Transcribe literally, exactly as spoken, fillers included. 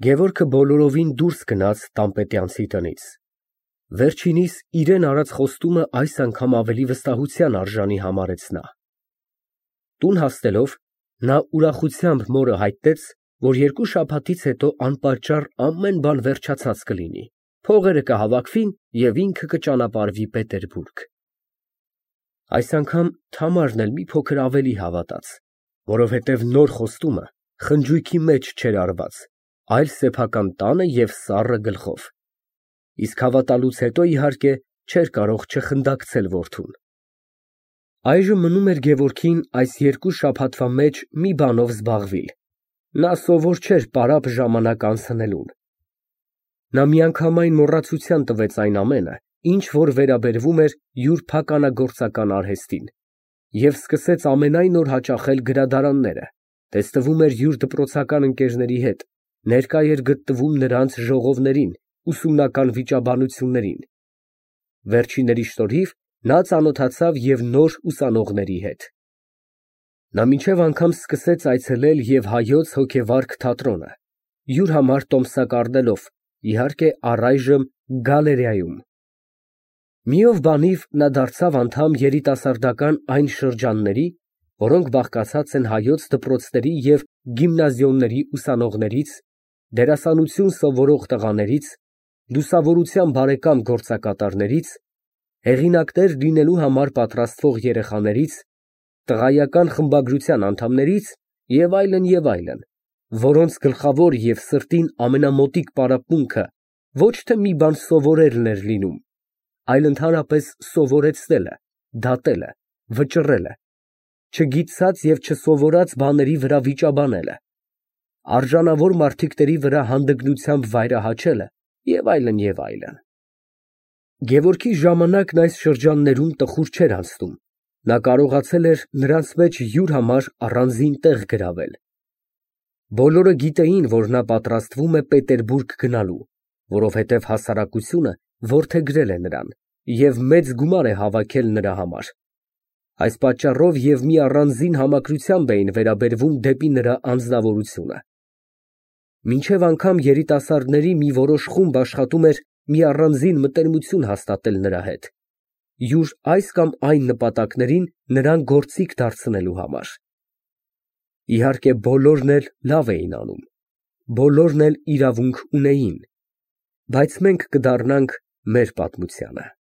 Գևորգը բոլորովին դուրս գնաց տան֊պետյանցի տնից, վերջինիս իրան արած խոստումը այս անգամ ավելի վստահության արժանի համարեց նա։ Տուն հասնելով, նա ուրախությամբ մորը հայտնեց, որ երկու շաբաթից հետո անպատճառ ամեն բան վերջացած կլինի, փողերը կհավաքվին և ինքը կճանապարհվի Պետերբուրգ։ Այս անգամ Թամարն էլ մի փոքր ավելի հավատաց, որովհետև նոր խոստումը խնջույքի մեջ չէր արված, այլ սեփական տանը և սառը գլխով, իսկ հավատալուց հետո, իհարկե, չէր կարող չխնդակցել որդուն։ Այժմ մնում էր Գևորգին այս երկու շաբաթվա մեջ մի բանով զբաղվել, նա սովոր չէր պարապ ժամանակ անցնելուն։ Նա միանգամայն մոռացության տվեց այն ամենը, ինչ որ վերաբերվում էր յուր փականագործական արհեստին, և սկսեց ամենայն օր հաճախել գրադարանները, տեսնվում էր յուր դպրոցական ընկերների հետ, ներկա էր գտնվում նրանց ժողովներին, ուսումնական վիճաբանություններին։ Վերջինների շնորհիվ նա ծանոթացավ և նոր ուսանողների հետ։ Նա մինչև անգամ սկսեց այցելել և Հայոց հոգեվարք թատրոնը, յուր համար տոմսակ առնելով, իհարկե, առայժմ գալերեայում։ Մի օր բանիվ նա դարձավ անդամ երիտասարդական այն շրջանների, որոնք բաղկացած են հայոց դպրոցների և գիմնազիոնների ուսանողներից, դերասանություն սովորող տղաներից, լուսավորության բարեկամ գործակատարներից, հեղինակներ լինելու համար պատրաստվող երեխաներից, տղայական խմբագրության անդամներից և այլն, և այլն, որոնց գլխավոր և սրտին ամենամոտիկ պարապմունքը ոչ թե մի բան սովորելն էր լինում, այլ ընդհանրապես սովորեցնելը, դատելը, վճռելը, չգիտած և չսովորած բաների վրա վիճաբանելը, արժանավոր մարդիկների վրա հանդգնությամբ վայրահաչելը և այլն, և այլն։ Գևորգի ժամանակն այս շրջաններում տխուր չէր անցնում, նա կարողացել էր նրանց մեջ յուր համար առանձին տեղ գրավել։ Բոլորը գիտեին, որ նա պատրաստվում է Պետերբուրգ գնալու, որովհետև հասարակությունը որդեգրել է նրան և մեծ գումար է հավաքել նրա համար։ Այս պատճառով և մի առանձին համակրությամբ էին վերաբերվում դեպի նրա անձնավորությունը։ Մինչև անգամ երիտասարդների մի որոշ խումբ աշխատում էր մի առանձին մտերմություն հաստատել նրա հետ, յուր այս կամ այն նպատակներին նրան գործիք դարձնելու համար։ Իհարկե, բոլորն էլ լավ էին անում, բոլորն էլ իրավունք ունեին, բայց մենք կդառնանք մեր պատմությանը։